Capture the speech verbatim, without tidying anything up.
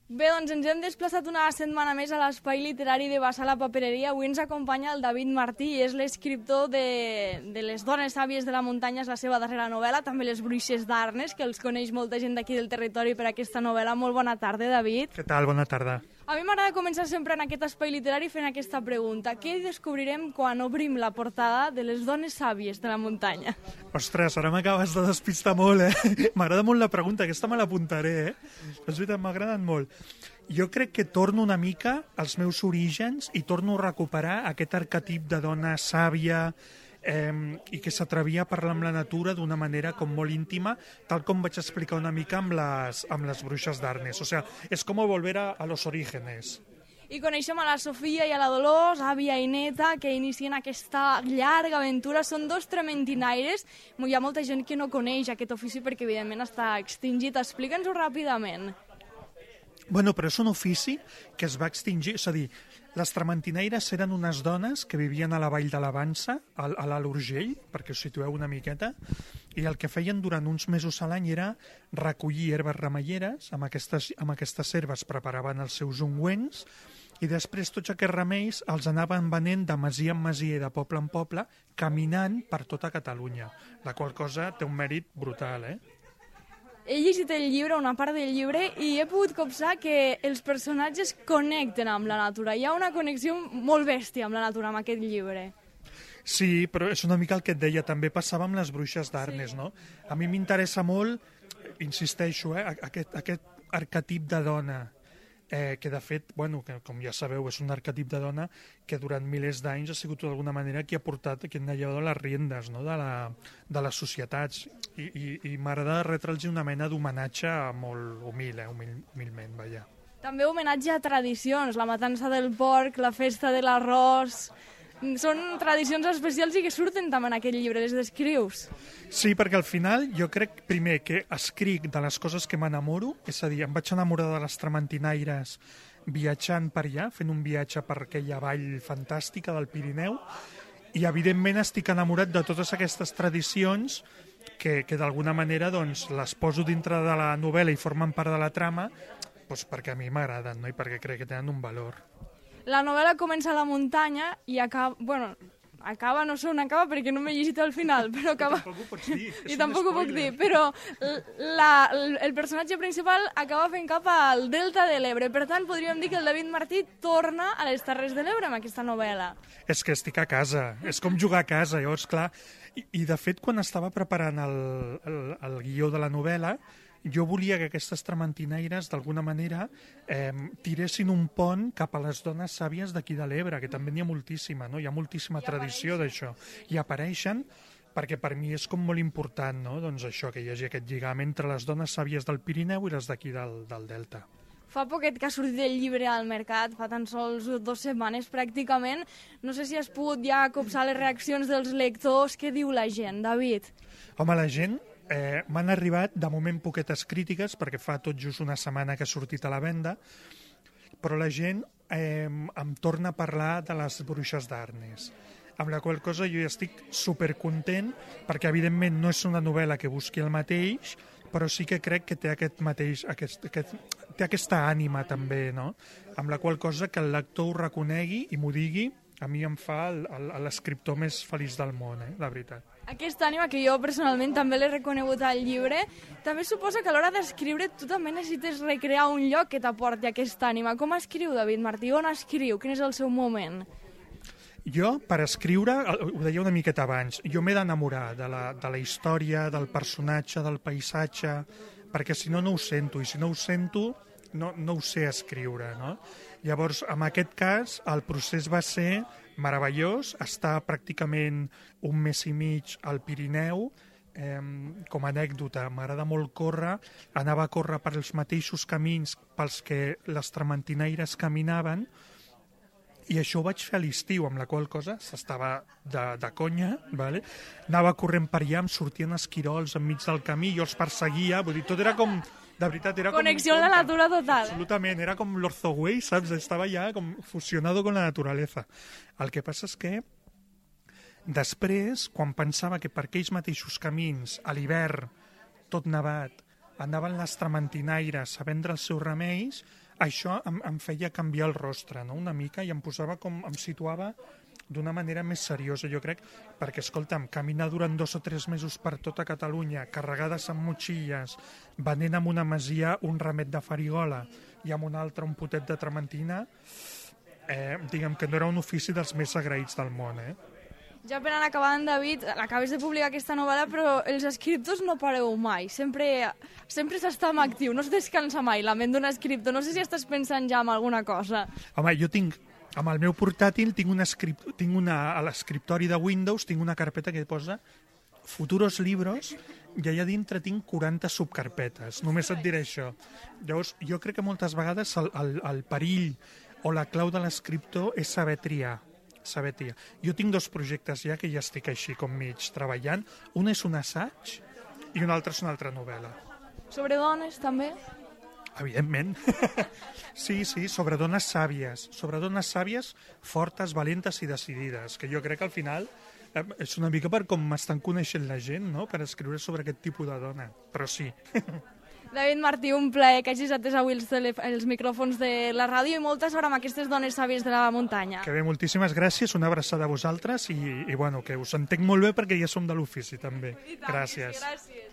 Bé, doncs ens hem desplaçat una setmana més a l'Espai Literari de Bassar la Papereria. Avui ens acompanya el David Martí, és l'escriptor de, de Les dones sàvies de la muntanya, és la seva darrera novel·la, també Les bruixes d'Arnes, que els coneix molta gent d'aquí del territori per aquesta novel·la. Molt bona tarda, David. Què tal? Bona tarda. A mi m'agrada començar sempre en aquest espai literari fent aquesta pregunta. Què descobrirem quan obrim la portada de Les dones sàvies de la muntanya? Ostres, ara m'acabes de despistar molt, eh? M'agrada molt la pregunta, aquesta me l'apuntaré, eh? És veritat, m'agraden molt. Jo crec que torno una mica als meus orígens i torno a recuperar aquest arquetip de dona sàvia eh, i que s'atrevia a parlar amb la natura d'una manera com molt íntima, tal com vaig explicar una mica amb les, amb les bruixes d'Arnes. O sea, és com volver a, a los orígenes. I coneixem a la Sofia i a la Dolors, àvia i neta, que inicien aquesta llarga aventura. Són dos trementinaires. Hi ha molta gent que no coneix aquest ofici perquè, evidentment, està extingit. Explica'ns-ho ràpidament. Bueno, però és un ofici que es va extingir, és a dir, les trementinaires eren unes dones que vivien a la vall de la Vansa, a l'Alt Urgell, perquè us situeu una miqueta, i el que feien durant uns mesos a l'any era recollir herbes remeieres, amb aquestes, amb aquestes herbes preparaven els seus ungüents, i després tots aquests remeis els anaven venent de masia en masia i de poble en poble, caminant per tota Catalunya, la qual cosa té un mèrit brutal, eh? He llegit el llibre, una part del llibre, i he pogut copsar que els personatges connecten amb la natura. Hi ha una connexió molt bèstia amb la natura, amb aquest llibre. Sí, però és una mica el que et deia, també passava amb les bruixes d'Arnes, sí. No? A mi m'interessa molt, insisteixo, eh, aquest, aquest arquetip de dona, eh, que de fet, bueno, que, com ja sabeu, és un arquetip de dona que durant milers d'anys ha sigut d'alguna manera qui ha portat, qui ha llevat les riendes, no? de, la, de les societats. I, i, i m'agrada retre'ls una mena d'homenatge molt humil, eh, humil, humilment, vaja. També homenatge a tradicions, la matança del porc, la festa de l'arròs. Són tradicions especials i que surten també en aquest llibre, les descrius. Sí, perquè al final jo crec, primer, que escric de les coses que m'enamoro, és a dir, em vaig enamorar de les trementinaires viatjant per allà, fent un viatge per aquella vall fantàstica del Pirineu, i evidentment estic enamorat de totes aquestes tradicions que, que d'alguna manera doncs, les poso dintre de la novel·la i formen part de la trama, doncs perquè a mi m'agraden, no? I perquè crec que tenen un valor. La novel·la comença a la muntanya i acaba... Bueno, acaba, no sé on acaba perquè no m'he llegit al final, però acaba... I tampoc ho pots dir. I tampoc ho puc dir, però la, el personatge principal acaba fent cap al Delta de l'Ebre. Per tant, podríem dir que el David Martí torna a les Terres de l'Ebre amb aquesta novel·la. És que estic a casa, és com jugar a casa, llavors, clar... I, i de fet, quan estava preparant el, el, el guió de la novel·la, jo volia que aquestes trementinaires, d'alguna manera, eh, tiressin un pont cap a les dones sàvies d'aquí de l'Ebre, que també n'hi ha moltíssima, no? Hi ha moltíssima I tradició d'això. I apareixen perquè per mi és com molt important, no? Doncs això, que hi hagi aquest lligam entre les dones sàvies del Pirineu i les d'aquí del, del Delta. Fa poquet que ha sortit el llibre al mercat, fa tan sols dues setmanes pràcticament. No sé si has pogut ja copsar les reaccions dels lectors. Què diu la gent, David? Home, la gent... Eh, m'han arribat, de moment, poquetes crítiques, perquè fa tot just una setmana que ha sortit a la venda, però la gent eh, em torna a parlar de les bruixes d'Arnes, amb la qual cosa jo ja estic supercontent, perquè evidentment no és una novel·la que busqui el mateix, però sí que crec que té aquest mateix, aquest, aquest, té aquesta ànima també, no? Amb la qual cosa que el lector ho reconegui i m'ho digui, a mi em fa l'escriptor més feliç del món, eh? La veritat. Aquesta ànima que jo personalment també l'he reconegut al llibre, també suposa que a l'hora d'escriure tu també necessites recrear un lloc que t'aporti aquesta ànima. Com escriu David Martí? On escriu? Quin és el seu moment? Jo, per escriure, ho deia una miqueta abans, jo m'he d'enamorar de, la, de la història, del personatge, del paisatge, perquè si no, no ho sento, i si no ho sento, no, no ho sé escriure, no? Llavors, en aquest cas, el procés va ser meravellós, estar pràcticament un mes i mig al Pirineu, eh, com a anècdota, m'agrada molt córrer, anava a córrer per els mateixos camins pels que les trementinaires caminaven, i això ho vaig fer a l'estiu, amb la qual cosa s'estava de, de conya, vale? Anava corrent per allà, em sortien esquirols enmig del camí, jo els perseguia, vull dir, tot era com... De veritat, era Connexió com... amb la natura total. Absolutament, era com l'Orzoway, saps? Estava ja com fusionado con la naturaleza. El que passa és que després, quan pensava que per aquells mateixos camins, a l'hivern, tot nevat, anaven les trementinaires a vendre els seus remeis, això em, em feia canviar el rostre, no?, una mica, i em posava com, em situava d'una manera més seriosa, jo crec, perquè, escolta'm, caminar durant dos o tres mesos per tota Catalunya, carregades amb motxilles, venent amb una masia un ramet de farigola i amb un altre un potet de trementina, eh, diguem que no era un ofici dels més agraïts del món, eh? Ja per anar acabant, David, acabes de publicar aquesta novel·la, però els escriptors no pareu mai. Sempre, sempre s'està en actiu, no es descansa mai la ment d'un escriptor. No sé si estàs pensant ja en alguna cosa. Home, jo tinc, amb el meu portàtil, tinc, una escript, tinc una, a l'escriptori de Windows, tinc una carpeta que posa futuros libros, i allà dintre tinc quaranta subcarpetes. Només et diré això. Llavors, jo crec que moltes vegades el, el, el perill o la clau de l'escriptor és saber triar. saber triar. Jo tinc dos projectes ja que ja estic així com mig treballant. Un és un assaig i un altre és una altra novel·la. Sobre dones, també? Evidentment. Sí, sí, sobre dones sàvies. Sobre dones sàvies, fortes, valentes i decidides, que jo crec que al final eh, és una mica per com m'estan coneixent la gent, no?, per escriure sobre aquest tipus de dona. Però sí. David Martí, un plaer que hagis atès avui els, els micròfons de la ràdio i molta sort amb aquestes dones sàvies de la muntanya. Que bé, moltíssimes gràcies, una abraçada a vosaltres i, i bueno, que us entenc molt bé perquè ja som de l'ofici també. I tant, gràcies. Gràcies.